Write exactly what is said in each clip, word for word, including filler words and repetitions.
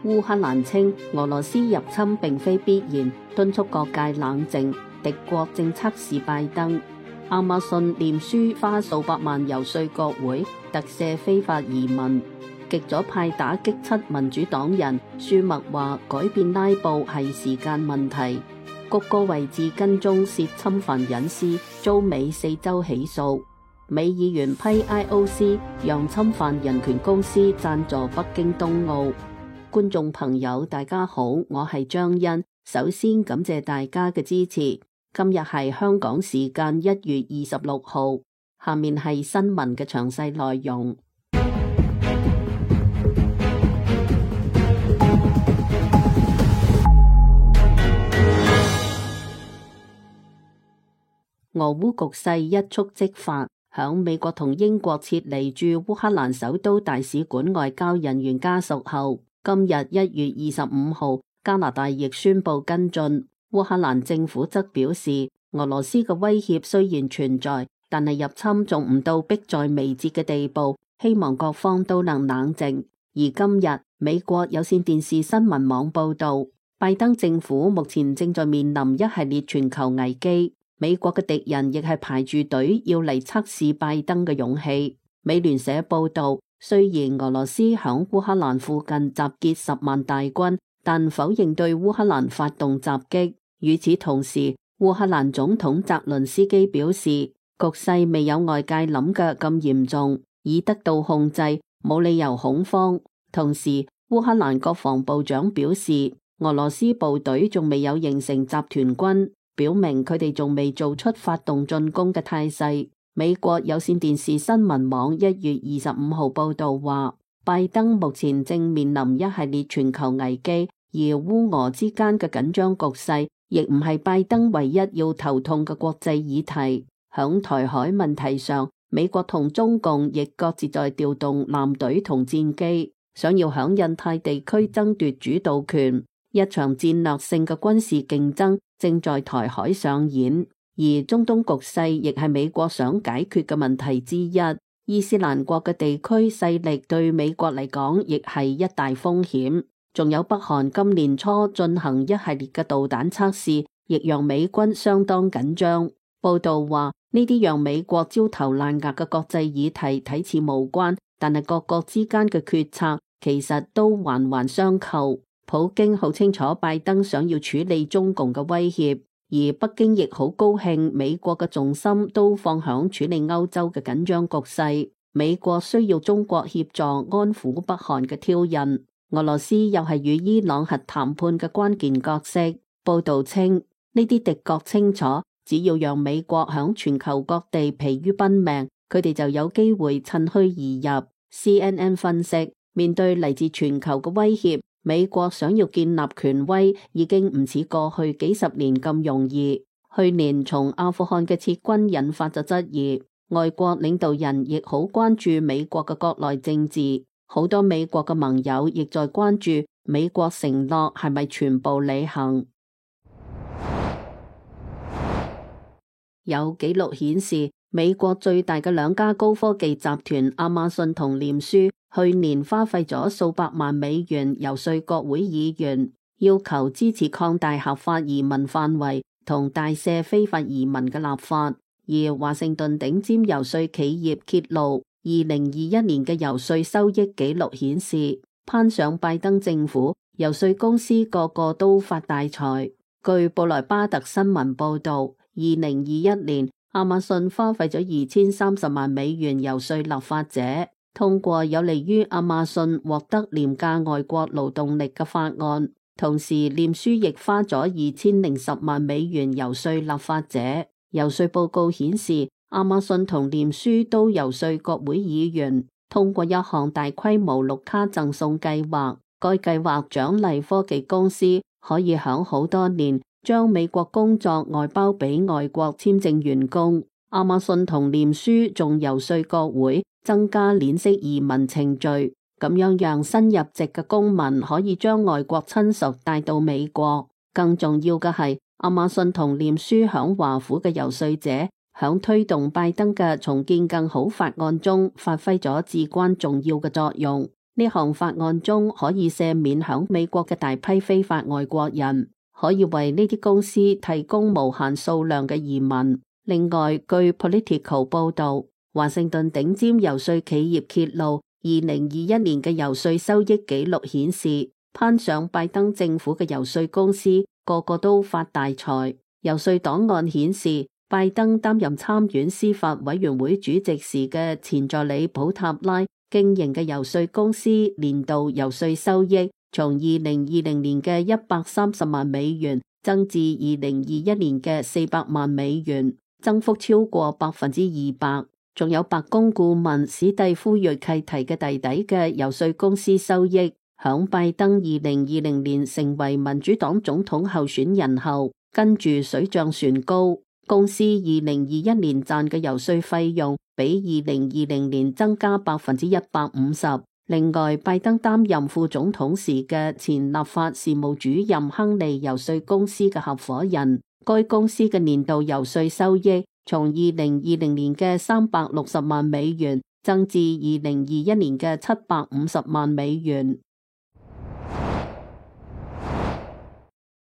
烏克蘭稱俄羅斯入侵並非必然，敦促各界冷靜。敵國正測試拜登。亞馬遜臉書花數百萬遊說國會特赦非法移民。極左派打擊七民主黨人，舒默話改變拉布係時間問題。谷歌位置跟蹤涉侵犯隱私，遭美四州起訴。美議員批 I O C 讓侵犯人權公司贊助北京冬奧。觀眾朋友大家好，我係張欣，首先感謝大家嘅支持。今日係香港時間一月二十六號，下面係新聞嘅詳細內容。俄烏局勢一觸即發，響美國同英國撤離駐烏克蘭首都大使館外交人員家屬後，今日一月二十五號，加拿大亦宣布跟進。烏克蘭政府則表示，俄羅斯嘅威脅雖然存在，但係入侵仲唔到迫在眉睫嘅地步，希望各方都能冷靜。而今日，美國有線電視新聞網報道，拜登政府目前正在面臨一系列全球危機，美國嘅敵人亦係排住隊要嚟測試拜登嘅勇氣。美聯社報道，雖然俄羅斯響烏克蘭附近集結十萬大軍，但否認對烏克蘭發動襲擊。與此同時，烏克蘭總統澤倫斯基表示，局勢未有外界諗嘅咁嚴重，已得到控制，冇理由恐慌。同時，烏克蘭國防部長表示，俄羅斯部隊仲未有形成集團軍，表明佢哋仲未做出發動進攻嘅態勢。美國有線電視新聞網一月二十五號報道話，拜登目前正面臨一系列全球危機，而烏俄之間嘅緊張局勢亦唔係拜登唯一要頭痛嘅國際議題。響台海問題上，美國同中共亦各自在調動艦隊同戰機，想要響印太地區爭奪主導權。一場戰略性嘅軍事競爭正在台海上演，而中東局勢亦係美國想解決嘅問題之一。伊斯蘭國嘅地區勢力對美國嚟講亦係一大風險。仲有北韓今年初進行一系列嘅導彈測試，亦讓美軍相當緊張。報道話，呢啲讓美國焦頭爛額嘅國際議題睇似無關，但係各國之間嘅決策其實都環環相扣。普京好清楚拜登想要處理中共嘅威脅，而北京亦好高興美國嘅重心都放響處理歐洲嘅緊張局勢。美國需要中國協助安撫北韓嘅挑釁。俄羅斯又係與伊朗核談判嘅關鍵角色。報道稱，呢啲敵國清楚，只要讓美國響全球各地疲於奔命，佢哋就有機會趁虛而入。C N N 分析，面對嚟自全球嘅威脅，美國想要建立權威已經唔似過去幾十年咁容易。去年從阿富汗嘅撤軍引發咗質疑，外國領導人亦好關注美國嘅國內政治。好多美國嘅盟友亦在關注美國承諾係咪全部履行。有紀錄顯示，美國最大嘅兩家高科技集團亞馬遜同臉書去年花費咗數百萬美元遊說國會議員，要求支持擴大合法移民範圍同大赦非法移民嘅立法。而華盛頓頂尖遊說企業揭露，二零二一年嘅遊說收益紀錄顯示，攀上拜登政府，遊說公司個個都發大財。據布萊巴特新聞報道，二零二一年亞馬遜花費咗二千三十萬美元遊說立法者，通過有利於亞馬遜獲得廉價外國勞動力嘅法案。同時，臉書亦花咗二千零十萬美元遊說立法者。遊說報告顯示，亞馬遜同臉書都遊說國會議員通過一項大規模綠卡贈送計劃，該計劃獎勵科技公司可以響好多年將美國工作外包俾外國簽證員工。亞馬遜同臉書仲遊說國會增加鏈式移民程序，咁樣讓新入籍嘅公民可以將外國親屬帶到美國。更重要嘅係，亞馬遜同臉書響華府嘅遊說者響推動拜登嘅重建更好法案中發揮咗至關重要嘅作用。呢項法案中可以赦免響美國嘅大批非法外國人，可以為呢啲公司提供無限數量嘅移民。另外，據 Politico 報道，華盛頓頂尖游說企業揭露，二零二一年嘅游說收益紀錄顯示，攀上拜登政府嘅游說公司個個都發大財。游說檔案顯示，拜登擔任參院司法委員會主席時嘅前助理普塔拉經營嘅游說公司年度游說收益從二零二零年嘅一百三十萬美元增至二零二一年嘅四百萬美元，增幅超過百分之二百。仲有白宮顧問史蒂夫瑞契提嘅弟弟嘅游說公司收益，響拜登二零二零年成為民主黨總統候選人後，跟住水漲船高。公司二零二一年賺嘅游說費用比二零二零年增加百分之一百五十。另外，拜登擔任副總統時嘅前立法事務主任亨利游說公司嘅合夥人，該公司嘅年度游說收益從二零二零年嘅三百六十萬美元增至二零二一年嘅七百五十萬美元。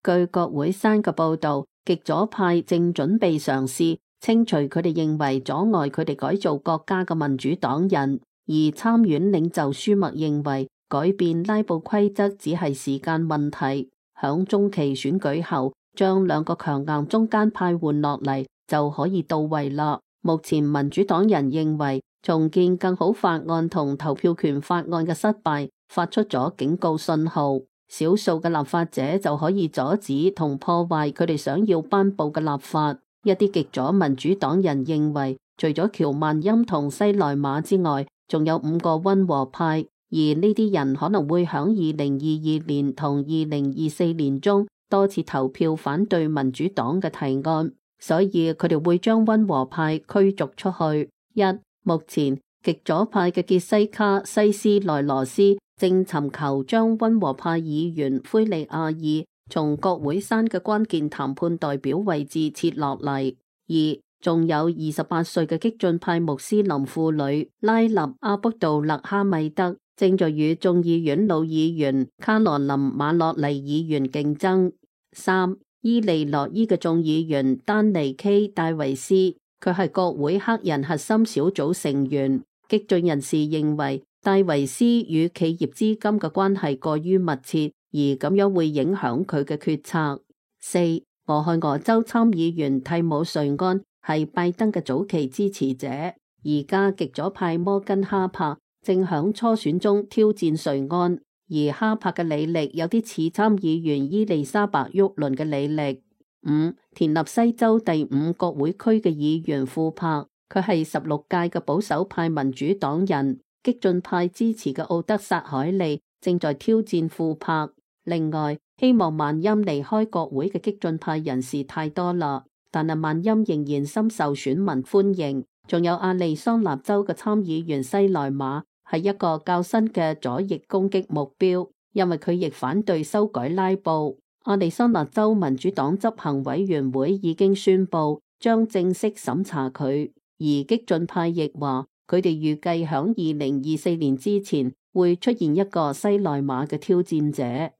據國會山嘅報道，極左派正準備嘗試清除佢哋認為阻礙佢哋改造國家嘅民主黨人，而參院領袖舒默認為改變拉布規則只係時間問題，響中期選舉後將兩個強硬中間派換落嚟就可以到位啦。目前民主黨人認為重建更好法案同投票權法案嘅失敗發出咗警告信號，少數嘅立法者就可以阻止同破壞佢哋想要頒布嘅立法。一啲極左民主黨人認為，除咗喬曼欽同西萊馬之外，仲有五個溫和派，而呢啲人可能會響二零二二年同二零二四年中多次投票反對民主黨嘅提案，所以佢哋會將溫和派驅逐出去。一、目前極左派嘅傑西卡西斯內羅斯正尋求將溫和派議員灰利亞爾從國會山嘅關鍵談判代表位置撤落嚟。二、仲有二十八歲嘅激進派穆斯林婦女拉納阿卜杜勒哈米德正在與眾議院老議員卡羅琳馬洛尼議員競爭。三、伊利諾伊嘅眾議員丹尼 K 戴維斯，佢係國會黑人核心小組成員。激進人士認為戴維斯與企業資金嘅關係過於密切，而咁樣會影響佢嘅決策。四、俄亥俄州參議員蒂姆瑞安係拜登嘅早期支持者，而家極左派摩根哈柏正響初選中挑戰瑞安，而哈柏嘅履歷有啲似參議員伊麗莎白沃倫嘅履歷。五、田納西州第五國會區嘅議員庫柏，佢係十六屆嘅保守派民主黨人，激進派支持嘅奧德薩海利正在挑戰庫柏。另外，希望曼欽離開國會嘅激進派人士太多啦，但係曼欽仍然深受選民歡迎。仲有亞利桑那州嘅參議員西萊馬係一個較新嘅左翼攻擊目標，因為佢亦反對修改拉布。亞利桑那州民主黨執行委員會已經宣布將正式審查佢，而激進派亦話佢哋預計響二零二四年之前會出現一個西萊馬嘅挑戰者。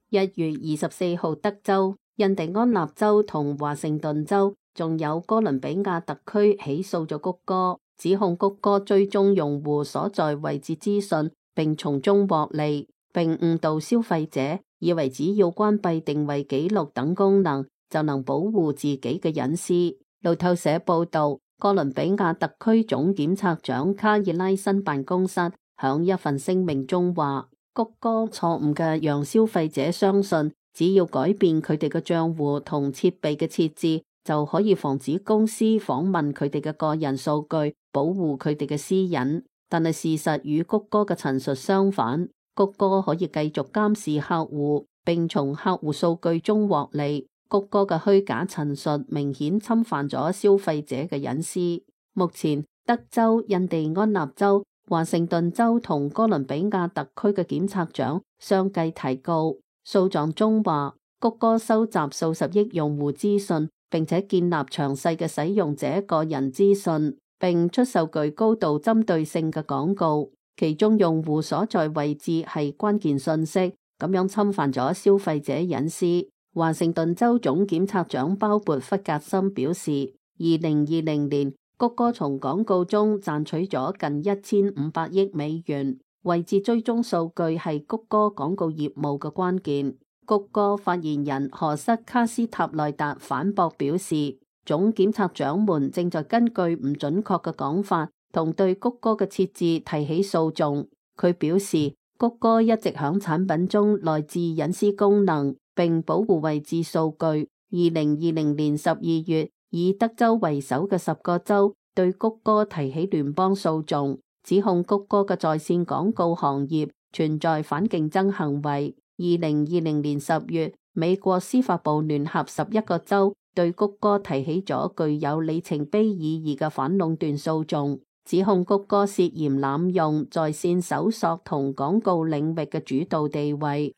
一月二十四號，德州、印第安納州同華盛頓州，仲有哥倫比亞特區起訴咗谷歌，指控谷歌追蹤用戶所在位置資訊，並從中獲利，並誤導消費者，以為只要關閉定位記錄等功能，就能保護自己嘅隱私。路透社報道，哥倫比亞特區總檢察長卡爾拉森辦公室響一份聲明中話，谷歌錯誤嘅讓消費者相信，只要改變佢哋嘅賬戶同設備嘅設置，就可以防止公司訪問佢哋嘅個人數據，保護佢哋嘅私隱。但係事實與谷歌嘅陳述相反，谷歌可以繼續監視客戶，並從客戶數據中獲利。谷歌嘅虛假陳述明顯侵犯咗消費者嘅隱私。目前，德州、印第安納州、華盛頓州同哥倫比亞特區嘅檢察長相繼提告。訴狀中話，谷歌收集數十億用戶資訊，並且建立詳細嘅使用者個人資訊，並出售具高度針對性嘅廣告，其中用戶所在位置係關鍵信息，咁樣侵犯咗消費者隱私。華盛頓州總檢察長鮑勃弗格森表示，二零二零年谷歌從廣告中賺取咗近一千五百億美元。位置追蹤數據係谷歌廣告業務嘅關鍵。谷歌發言人何塞卡斯塔內達反駁表示，總檢察長們正在根據唔準確嘅講法同對谷歌嘅設置提起訴訟。佢表示，谷歌一直響產品中內置隱私功能，並保護位置數據。二零二零年十二月，以德州為首嘅十個州對谷歌提起聯邦訴訟，指控谷歌嘅在線廣告行業存在反競爭行為。二零二零年十月，美國司法部聯合十一個州對谷歌提起咗具有里程碑意義嘅反壟斷訴訟，指控谷歌涉嫌濫用在線搜索同廣告領域嘅主導地位。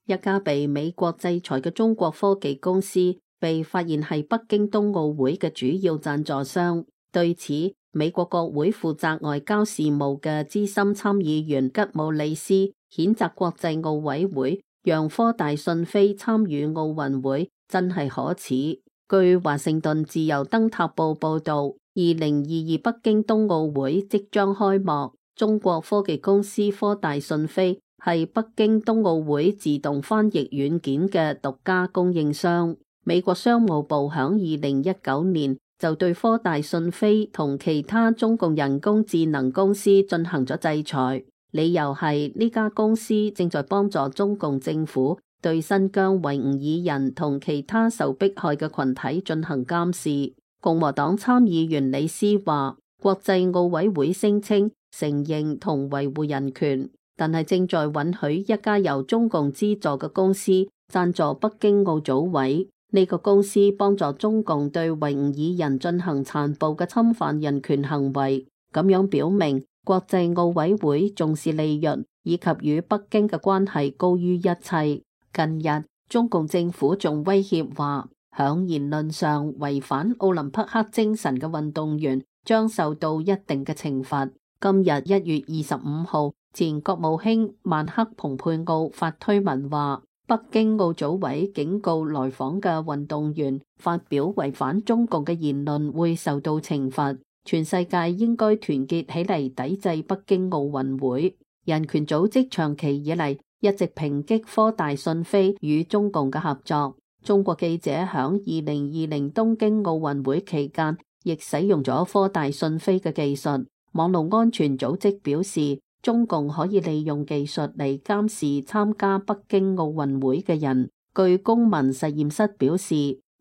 一家被美國制裁嘅中國科技公司被發現係北京冬奧會嘅主要贊助商。對此，美國國會負責外交事務嘅資深參議員吉姆里斯譴責國際奧委會讓科大訊飛參與奧運會，真係可恥。據華盛頓自由燈塔報報道，二零二二北京冬奧會即將開幕，中國科技公司科大訊飛係北京冬奧會自動翻譯軟件嘅獨家供應商。美國商務部響二零一九年就對科大訊飛同其他中共人工智能公司進行咗制裁，理由係呢家公司正在幫助中共政府對新疆維吾爾人同其他受迫害嘅群體進行監視。共和黨參議員李斯話，國際奧委會聲稱承認同維護人權，但係正在允許一家由中共資助嘅公司贊助北京奧組委。呢個公司幫助中共對維吾爾人進行殘暴嘅侵犯人權行為，咁樣表明國際奧委會重視利潤以及與北京嘅關係高於一切。近日，中共政府仲威脅話，響言論上違反奧林匹克精神嘅運動員將受到一定嘅懲罰。今日一月二十五號，前國務卿曼克蓬佩奧發推文話，北京奧組委警告來訪嘅運動員發表違反中共嘅言論會受到懲罰，全世界應該團結起嚟抵制北京奧運會。人權組織長期以嚟一直抨擊科大訊飛與中共嘅合作。中國記者響二零二零東京奧運會期間亦使用咗科大訊飛嘅技術。網絡安全組織表示，中共可以利用技術嚟監視參加北京奧運會嘅人。據公民實驗室表示，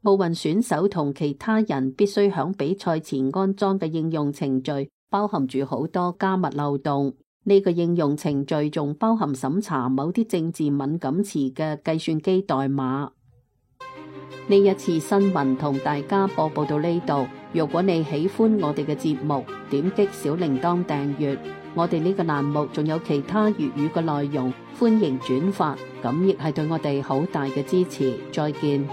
奧運選手同其他人必須響比賽前安裝嘅應用程序包含住好多加密漏洞。呢個應用程序仲包含審查某啲政治敏感詞嘅計算機代碼。呢一次新聞同大家播報到呢度。如果你喜歡我哋嘅節目，點擊小鈴鐺訂閱。我哋呢個欄目仲有其他粵語嘅內容，歡迎轉發，咁亦係對我哋好大嘅支持。再見。